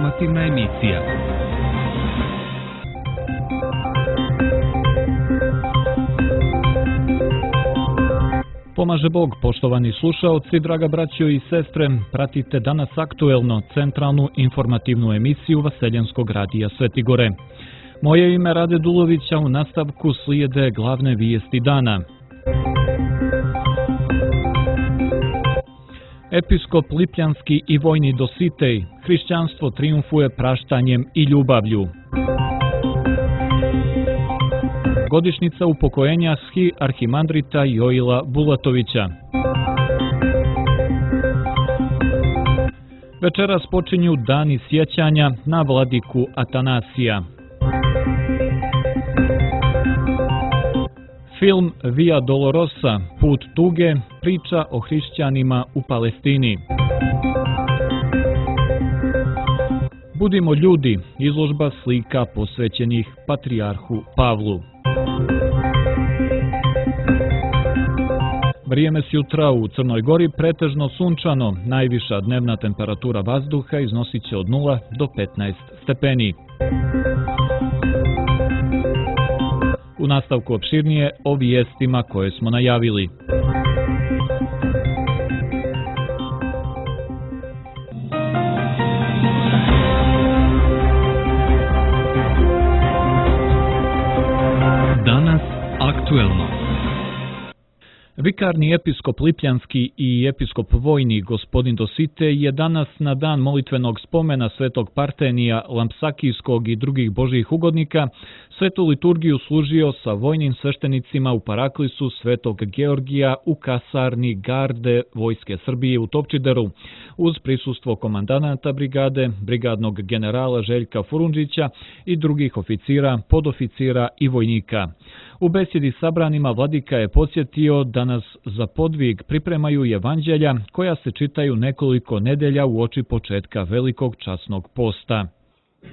Informativna emisija. Pomaže Bog, poštovani slušaoci, draga braćo i sestre, pratite danas aktuelno centralnu informativnu emisiju Vaseljenskog radija Sveti Gore. Moje ime Rade Dulovića, u nastavku slijede glavne vijesti dana. Episkop Lipljanski i vojni Dositej, hrišćanstvo trijumfuje praštanjem i ljubavlju. Godišnjica upokojenja arhimandrita Joila Bulatovića. Večeras počinju dani sjećanja na vladiku Atanasija. Film Via Dolorosa, Put tuge, priča o hrišćanima u Palestini. Budimo ljudi, izložba slika posvećenih patrijarhu Pavlu. Vrijeme s jutra u Crnoj Gori pretežno sunčano, najviša dnevna temperatura vazduha iznosit će od 0 do 15 stepeni. U nastavku opširnije o vijestima koje smo najavili. Danas aktuelno. Vikarni episkop Lipljanski i episkop vojni gospodin Dositej je danas na dan molitvenog spomena svetog Partenija, Lampsakijskog i drugih božjih ugodnika svetu liturgiju služio sa vojnim sveštenicima u paraklisu svetog Georgija u kasarni garde Vojske Srbije u Topčideru, uz prisustvo komandanata brigade, brigadnog generala Željka Furundžića i drugih oficira, podoficira i vojnika. U besjedi sabranima vladika je podsjetio da nas za podvig pripremaju evanđelja koja se čitaju nekoliko nedelja uoči početka velikog časnog posta.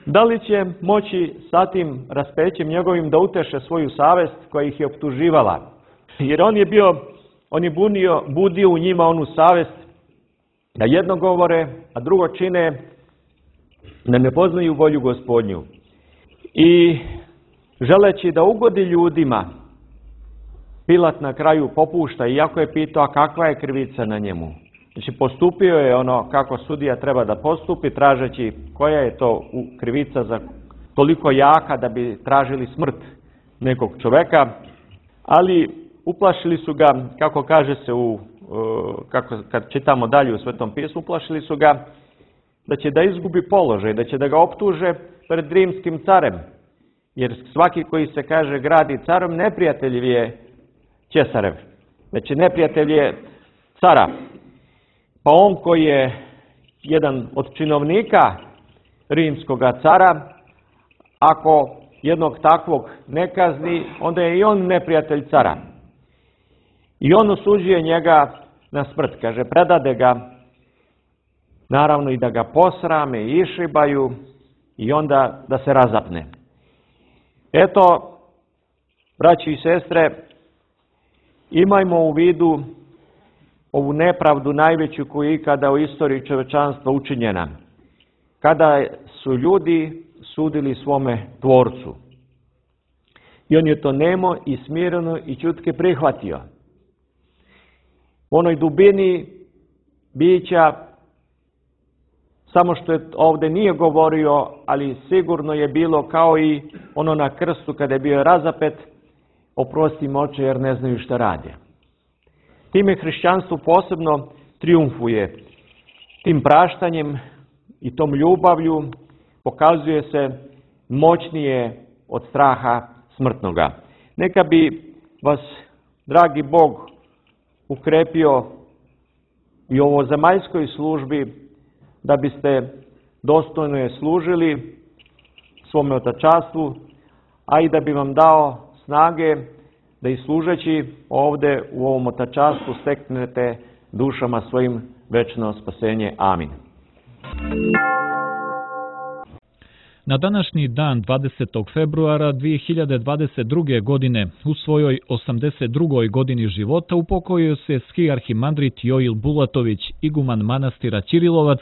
Da li će moći sa tim raspećem njegovim da uteše svoju savest koja ih je optuživala? Jer on je budio u njima onu savest da jedno govore, a drugo čine, da ne poznaju volju Gospodnju. I želeći da ugodi ljudima, Pilat na kraju popušta, iako je pitao a kakva je krivica na njemu. Znači postupio je ono kako sudija treba da postupi, tražeći koja je to krivica za toliko jaka da bi tražili smrt nekog čoveka, ali uplašili su ga, kako kaže se kad čitamo dalje u Svetom pismu, uplašili su ga da će da izgubi položaj, da će da ga optuže pred rimskim carem. Jer svaki koji se kaže gradi carom, neprijatelj je Ćesarev. Znači neprijatelj je cara. Pa on koji je jedan od činovnika rimskoga cara, ako jednog takvog ne kazni, onda je i on neprijatelj cara. I on osuđuje njega na smrt. Kaže, predade ga, naravno i da ga posrame i išibaju i onda da se razapne. Eto, braći i sestre, imajmo u vidu ovu nepravdu najveću koju je ikada u istoriji čovečanstva učinjena. Kada su ljudi sudili svome tvorcu. I on je to nemo i smireno i ćutke prihvatio. U onoj dubini bića, samo što je ovdje nije govorio, ali sigurno je bilo kao i ono na krstu kada je bio razapet, oprosti im oče jer ne znaju šta rade. Time hrišćanstvo posebno trijumfuje. Tim praštanjem i tom ljubavlju pokazuje se moćnije od straha smrtnoga. Neka bi vas, dragi Bog, ukrepio i u ovozemaljskoj službi da biste dostojno je služili svome otačastvu, a i da bi vam dao snage da i služeći ovdje u ovom otačastvu steknete dušama svojim večno spasenje. Amin. Na današnji dan 20. februara 2022. godine u svojoj 82. godini života upokojio se arhimandrit Joil Bulatović, iguman manastira Ćirilovac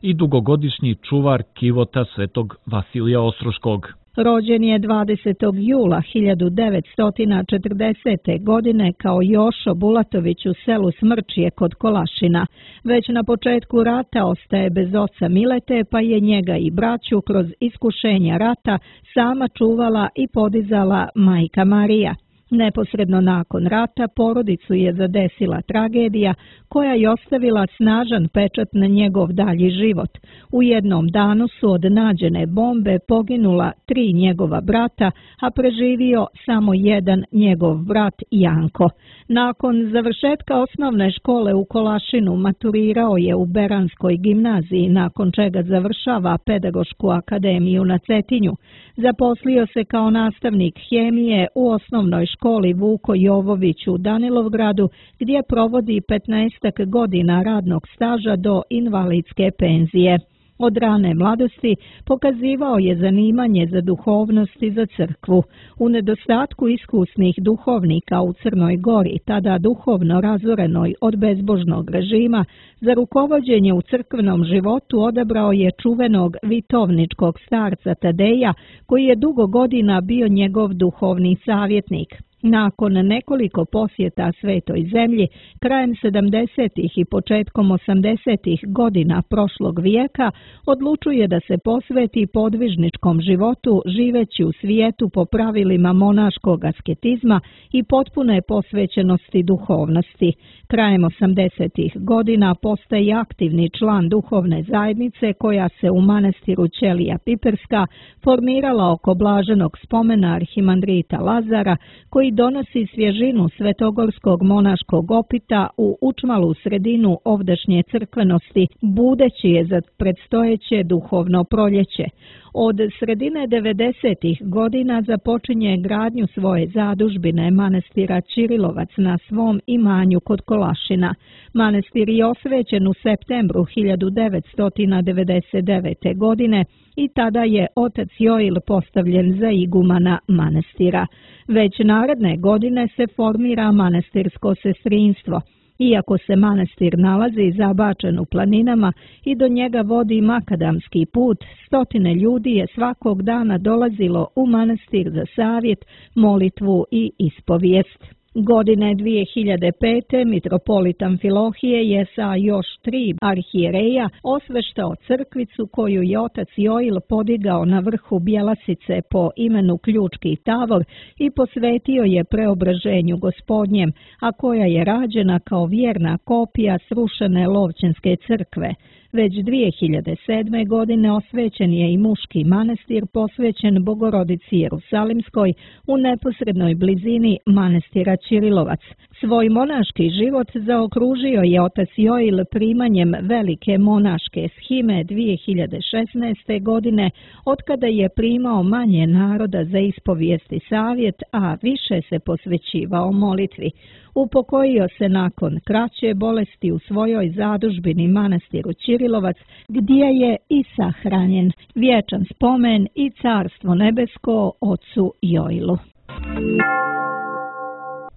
i dugogodišnji čuvar kivota Svetog Vasilija Ostroškog. Rođen je 20. jula 1940. godine kao Jošo Bulatović u selu Smrčije kod Kolašina. Već na početku rata ostaje bez oca Milete, pa je njega i braću kroz iskušenja rata sama čuvala i podizala majka Marija. Neposredno nakon rata porodicu je zadesila tragedija koja je ostavila snažan pečat na njegov dalji život. U jednom danu su od nađene bombe poginula 3 njegova brata, a preživio samo jedan njegov brat Janko. Nakon završetka osnovne škole u Kolašinu maturirao je u Beranskoj gimnaziji, nakon čega završava Pedagošku akademiju na Cetinju. Zaposlio se kao nastavnik hemije u osnovnoj školi Vuko Jovović u Danilovgradu, gdje provodi 15 godina radnog staža do invalidske penzije. Od rane mladosti pokazivao je zanimanje za duhovnost i za crkvu. U nedostatku iskusnih duhovnika u Crnoj Gori, tada duhovno razorenoj od bezbožnog režima, za rukovođenje u crkvenom životu odabrao je čuvenog vitovničkog starca Tadeja, koji je dugo godina bio njegov duhovni savjetnik. Nakon nekoliko posjeta Svetoj zemlji, krajem 70. i početkom 80. godina prošlog vijeka, odlučuje da se posveti podvižničkom životu živeći u svijetu po pravilima monaškog asketizma i potpune posvećenosti duhovnosti. Krajem 80. godina postaje aktivni član duhovne zajednice koja se u manastiru Ćelija Piperska formirala oko blaženog spomena arhimandrita Lazara, koji donosi svježinu svetogorskog monaškog opita u učmalu sredinu ovdašnje crkvenosti, budeći je za predstojeće duhovno proljeće. Od sredine 90. godina započinje gradnju svoje zadužbine manastira Ćirilovac na svom imanju kod Kolašina. Manastir je osvećen u septembru 1999. godine i tada je otac Joil postavljen za igumana manastira. Već naredne godine se formira manastirsko sestrinstvo. Iako se manastir nalazi zabačen u planinama i do njega vodi makadamski put, stotine ljudi je svakog dana dolazilo u manastir za savjet, molitvu i ispovijest. Godine 2005. mitropolit Amfilohije je sa još 3 arhijereja osveštao crkvicu koju je otac Joil podigao na vrhu Bjelasice po imenu Ključki Tavor i posvetio je preobraženju Gospodnjem, a koja je rađena kao vjerna kopija srušene Lovćenske crkve. Već 2007. godine osvećen je i muški manastir posvećen Bogorodici Jerusalimskoj u neposrednoj blizini manastira Ćirilovac. Svoj monaški život zaokružio je otac Joil primanjem velike monaške shime 2016. godine, otkada je primao manje naroda za ispovijest i savjet, a više se posvećivao molitvi. Upokojio se nakon kraće bolesti u svojoj zadužbini manastiru Ćirilovac, gdje je i sahranjen. Vječan spomen i carstvo nebesko ocu Joilu.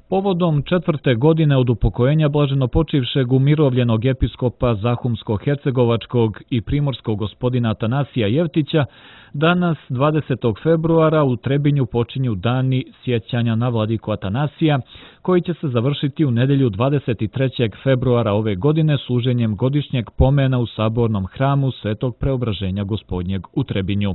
Povodom 4. godine od upokojenja blaženopočivšeg umirovljenog episkopa Zahumsko-hercegovačkog i primorskog gospodina Atanasija Jevtića, danas 20. februara u Trebinju počinju dani sjećanja na vladiku Atanasija, koji će se završiti u nedjelju 23. februara ove godine služenjem godišnjeg pomena u sabornom hramu Svetog Preobraženja Gospodnjeg u Trebinju.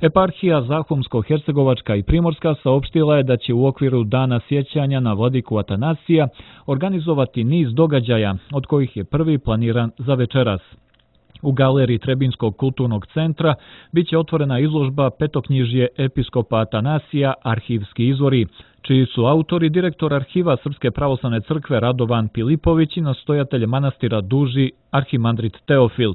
Eparhija Zahumsko-hercegovačka i Primorska saopštila je da će u okviru dana sjećanja na vladiku Atanasija organizovati niz događaja, od kojih je prvi planiran za večeras. U galeriji Trebinskog kulturnog centra biće otvorena izložba Petoknjižje episkopa Atanasija, arhivski izvori, čiji su autori direktor arhiva Srpske pravoslavne crkve Radovan Pilipović i nastojatelj manastira Duži arhimandrit Teofil.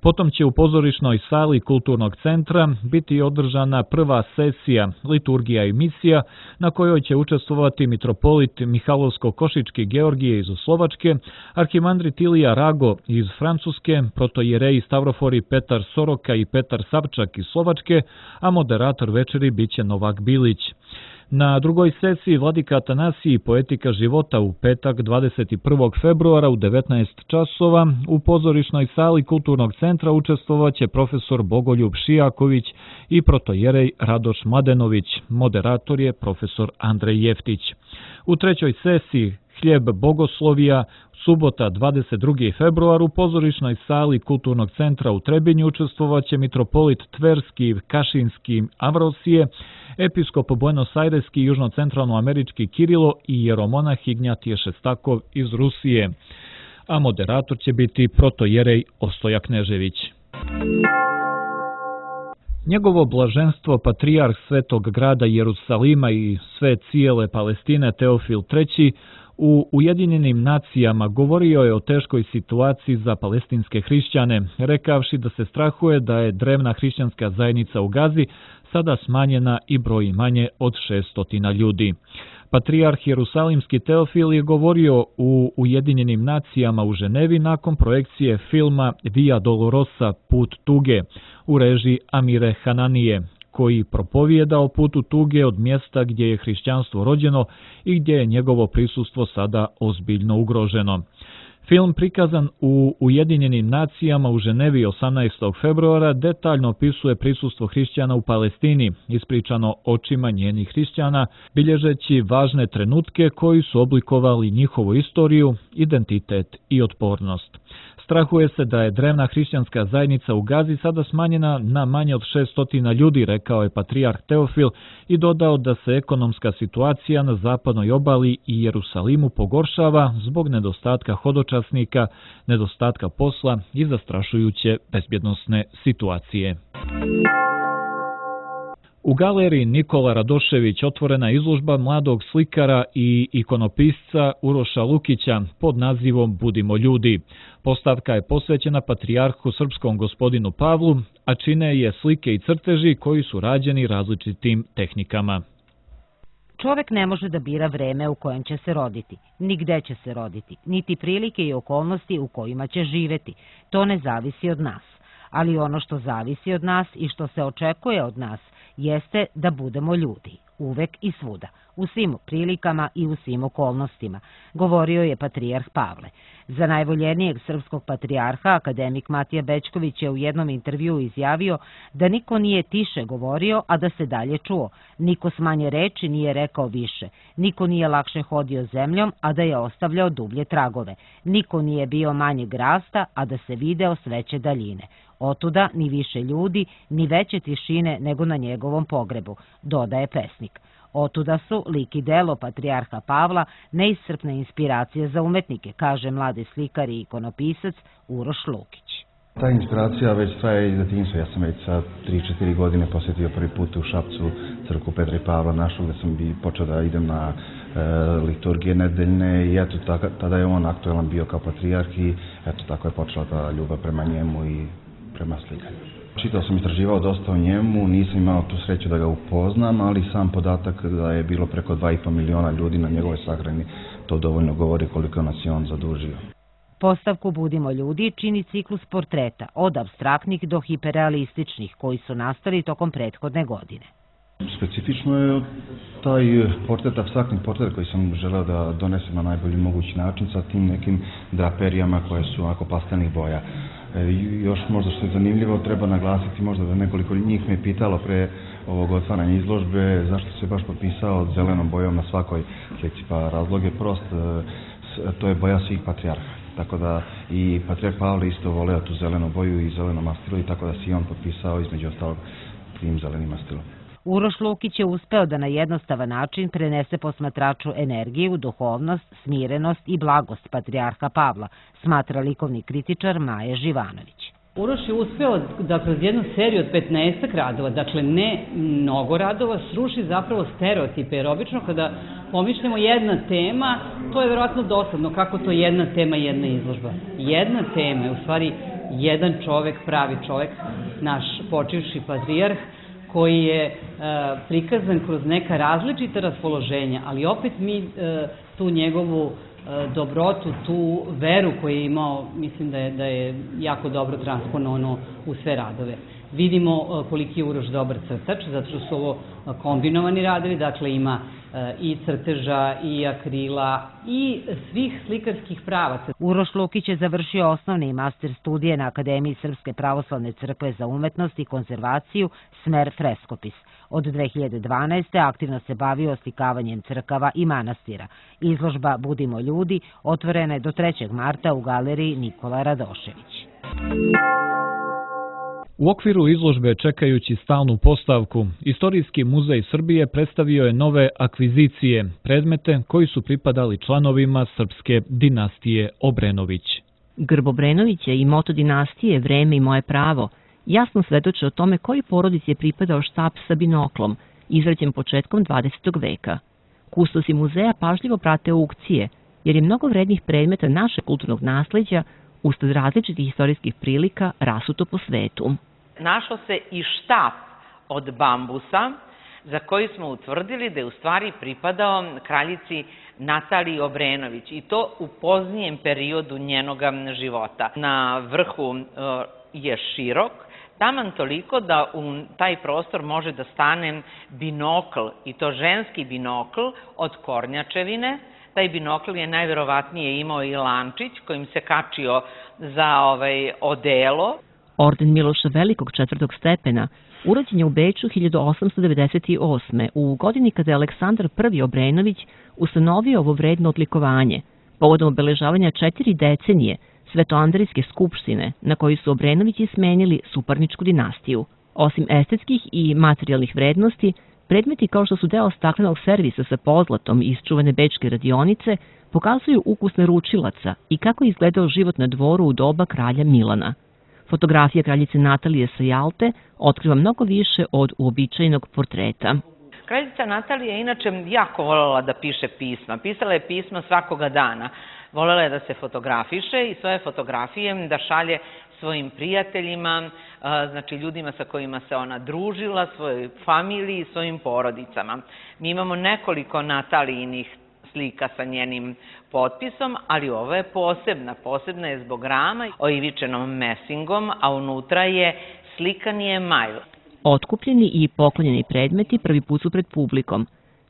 Potom će u pozorišnoj sali Kulturnog centra biti održana prva sesija Liturgija i misija, na kojoj će učestvovati mitropolit Mihalovsko-Košički Georgije iz Slovačke, arhimandrit Ilija Rago iz Francuske, protojereji Stavrofori Petar Soroka i Petar Savčak iz Slovačke, a moderator večeri biće Novak Bilić. Na drugoj sesiji Vladika Atanasiji Poetika života u petak 21. februara u 19 časova u pozorišnoj sali Kulturnog centra učestvovaće profesor Bogoljub Šijaković i protojerej Radoš Mladenović, moderator je profesor Andrej Jeftić. U trećoj sesiji Hljeb bogoslovija subota 22. februar u pozorišnoj sali Kulturnog centra u Trebinju učestvovaće mitropolit Tverski, Kašinski, Avrosije, episkop Buenos Aireski i južnocentralnoamerički Kirilo i jeromonah Ignjatije Šestakov iz Rusije, a moderator će biti protojerej Ostoja Knežević. Njegovo blaženstvo patrijarh Svetog grada Jerusalima i sve cijele Palestine Teofil III u Ujedinjenim nacijama govorio je o teškoj situaciji za palestinske hrišćane, rekavši da se strahuje da je drevna hrišćanska zajednica u Gazi sada smanjena i broji manje od 600 ljudi. Patrijarh Jerusalimski Teofil je govorio u Ujedinjenim nacijama u Ženevi nakon projekcije filma Via Dolorosa, Put tuge, u režiji Amire Hananije, koji propovijeda o putu tuge od mjesta gdje je hrišćanstvo rođeno i gdje je njegovo prisustvo sada ozbiljno ugroženo. Film prikazan u Ujedinjenim nacijama u Ženevi 18. februara detaljno opisuje prisustvo hrišćana u Palestini, ispričano očima njenih hrišćana, bilježeći važne trenutke koji su oblikovali njihovu istoriju, identitet i otpornost. Strahuje se da je drevna hrišćanska zajednica u Gazi sada smanjena na manje od 600 ljudi, rekao je patrijarh Teofil i dodao da se ekonomska situacija na zapadnoj obali i Jerusalimu pogoršava zbog nedostatka hodočasnika, nedostatka posla i zastrašujuće bezbjednosne situacije. U galeriji Nikola Radošević otvorena izložba mladog slikara i ikonopisca Uroša Lukića pod nazivom Budimo ljudi. Postavka je posvećena patrijarhu srpskom gospodinu Pavlu, a čine je slike i crteži koji su rađeni različitim tehnikama. Čovek ne može da bira vreme u kojem će se roditi, ni gde će se roditi, niti prilike i okolnosti u kojima će živeti. To ne zavisi od nas. Ali ono što zavisi od nas i što se očekuje od nas jeste da budemo ljudi, uvek i svuda, u svim prilikama i u svim okolnostima, govorio je patrijarh Pavle. Za najvoljenijeg srpskog patrijarha, akademik Matija Bećković je u jednom intervjuu izjavio da niko nije tiše govorio, a da se dalje čuo, niko s manje reči nije rekao više, niko nije lakše hodio zemljom, a da je ostavljao dublje tragove, niko nije bio manjeg rasta, a da se video s veće daljine. Otuda ni više ljudi, ni veće tišine nego na njegovom pogrebu, dodaje pesnik. Otuda su lik i delo patrijarha Pavla neiscrpne inspiracije za umetnike, kaže mladi slikar i ikonopisac Uroš Lukić. Ta inspiracija već traje iz detinjstva. Ja sam već sa 3-4 godine posjetio prvi put u Šapcu crkvu Petra i Pavla našu, gdje sam počeo da idem na liturgije nedeljne i eto tada je on aktualan bio kao patrijarh i eto tako je počela ta ljubav prema njemu i prema slikanju. Čitao sam, istraživao dosta o njemu, nisam imao tu sreću da ga upoznam, ali sam podatak da je bilo preko 2,5 miliona ljudi na njegovoj sahrani, to dovoljno govori koliko nas je on zadužio. Postavku Budimo ljudi čini ciklus portreta, od apstraktnih do hiperrealističnih, koji su nastali tokom prethodne godine. Specifično je taj portret, apstraktni portret koji sam želeo da donesem na najbolji mogući način sa tim nekim draperijama koje su onako pastelnih boja. Još možda što je zanimljivo, treba naglasiti možda da nekoliko njih me pitalo pre ovog otvaranja izložbe zašto se baš potpisao zelenom bojom na svakoj slici, pa razlog je prost, to je boja svih patrijarha. Tako da i patrijarh Pavle isto voleo tu zelenu boju i zeleno mastilo i tako da si on potpisao između ostalog tim zelenim mastilom. Uroš Lukić je uspeo da na jednostavan način prenese posmatraču energiju, duhovnost, smirenost i blagost patrijarha Pavla, smatra likovni kritičar Maje Živanović. Uroš je uspeo da kroz jednu seriju od 15 radova, dakle ne mnogo radova, sruši zapravo stereotipe, jer obično kada pomišljamo jedna tema, to je verovatno dosadno, kako to jedna tema, jedna izložba. Jedna tema je u stvari jedan čovek, pravi čovek, naš počivši patrijarh, koji je prikazan kroz neka različita raspoloženja, ali opet mi tu njegovu dobrotu, tu veru koju je imao, mislim da je jako dobro transponovano u sve radove. Vidimo koliki je Uroš dobar crtač, zato što su ovo kombinovani radovi, dakle ima i crteža, i akrila, i svih slikarskih pravaca. Uroš Lukić je završio osnovne i master studije na Akademiji Srpske pravoslavne crkve za umetnost i konzervaciju, smer freskopis. Od 2012. aktivno se bavio oslikavanjem crkava i manastira. Izložba Budimo ljudi otvorena je do 3. marta u galeriji Nikola Radošević. U okviru izložbe čekajući stalnu postavku, Istorijski muzej Srbije predstavio je nove akvizicije, predmete koji su pripadali članovima srpske dinastije Obrenović. Grb Obrenovića i moto dinastije Vreme i moje pravo jasno svedoče o tome koji porodici je pripadao štap sa binoklom, izrađen početkom 20. veka. Kustosi muzeja pažljivo prate aukcije, jer je mnogo vrednih predmeta našeg kulturnog nasleđa usled različitih istorijskih prilika rasuto po svetu. Našao se i štap od bambusa, za koji smo utvrdili da je u stvari pripadao kraljici Nataliji Obrenović, i to u poznijem periodu njenoga života. Na vrhu je širok, taman toliko da u taj prostor može da stane binokl, i to ženski binokl od kornjačevine. Taj binokl je najverovatnije imao i lančić kojim se kačio za odelo. Orden Miloša Velikog 4. stepena urađen je u Beču 1898. u godini kada je Aleksandar I. Obrenović ustanovio ovo vredno odlikovanje, povodom obeležavanja 4 decenije Svetoandrijske skupštine na kojoj su Obrenovići smenili suparničku dinastiju. Osim estetskih i materijalnih vrednosti, predmeti kao što su deo staklenog servisa sa pozlatom iz čuvene bečke radionice pokazuju ukus naručilaca i kako je izgledao život na dvoru u doba kralja Milana. Fotografija kraljice Natalije sa Jalte otkriva mnogo više od uobičajenog portreta. Kraljica Natalija je inače jako voljela da piše pisma. Pisala je pisma svakoga dana. Voljela je da se fotografiše i svoje fotografije da šalje svojim prijateljima, znači ljudima sa kojima se ona družila, svojoj familiji i svojim porodicama. Mi imamo nekoliko Natalijinih slika sa njenim potpisom, ali ovo je posebna. Posebna je zbog rama oivičenom mesingom, a unutra je slikani emajl. Otkupljeni i poklonjeni predmeti prvi put su pred publikom.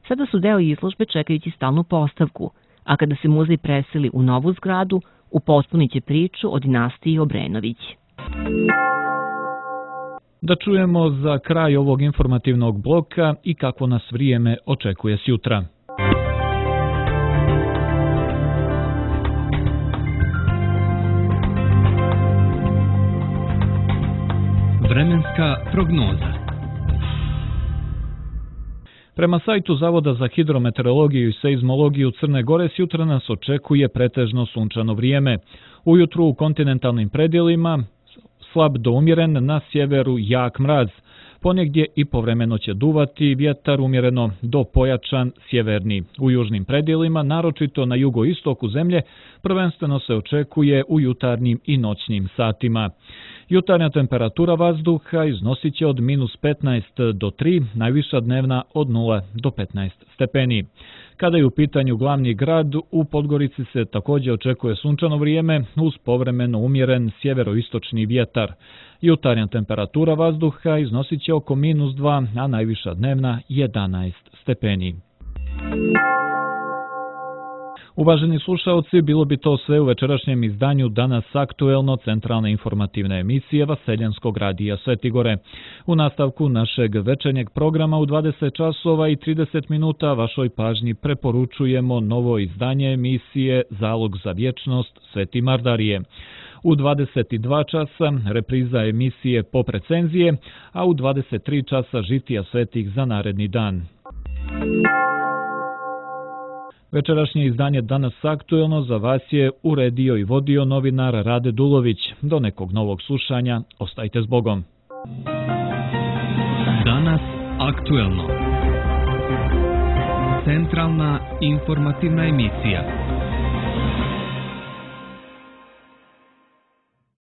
Sada su deo izložbe čekajući stalnu postavku, a kada se muzej preseli u novu zgradu, upotpunit će priču o dinastiji Obrenović. Da čujemo za kraj ovog informativnog bloka i kako nas vrijeme očekuje sjutra. Vremenska prognoza. Prema sajtu Zavoda za hidrometeorologiju i seizmologiju Crne Gore sjutra nas očekuje pretežno sunčano vrijeme. Ujutru u kontinentalnim predjelima slab do umjeren, na sjeveru jak mraz. Ponegdje i povremeno će duvati vjetar umjereno do pojačan sjeverni. U južnim predjelima, naročito na jugoistoku zemlje, prvenstveno se očekuje u jutarnjim i noćnim satima. Jutarnja temperatura vazduha iznosit će od -15 do 3, najviša dnevna od 0 do 15 stepeni. Kada je u pitanju glavni grad, u Podgorici se također očekuje sunčano vrijeme uz povremeno umjeren sjeveroistočni vjetar. Jutarnja temperatura vazduha iznosit će oko -2, a najviša dnevna 11 stepeni. Uvaženi slušaoci, bilo bi to sve u večerašnjem izdanju Danas aktuelno centralne informativne emisije Vaseljanskog radija Sveti Gore. U nastavku našeg večernjeg programa u 20 časova i 30 minuta vašoj pažnji preporučujemo novo izdanje emisije Zalog za vječnost Sveti Mardarije. U 22 časa repriza emisije Pop recenzije, a u 23 časa žitija svetih za naredni dan. Večerašnje izdanje Danas aktuelno za vas je uredio i vodio novinar Rade Dulović. Do nekog novog slušanja, ostajte s Bogom. Danas aktuelno. Centralna informativna emisija.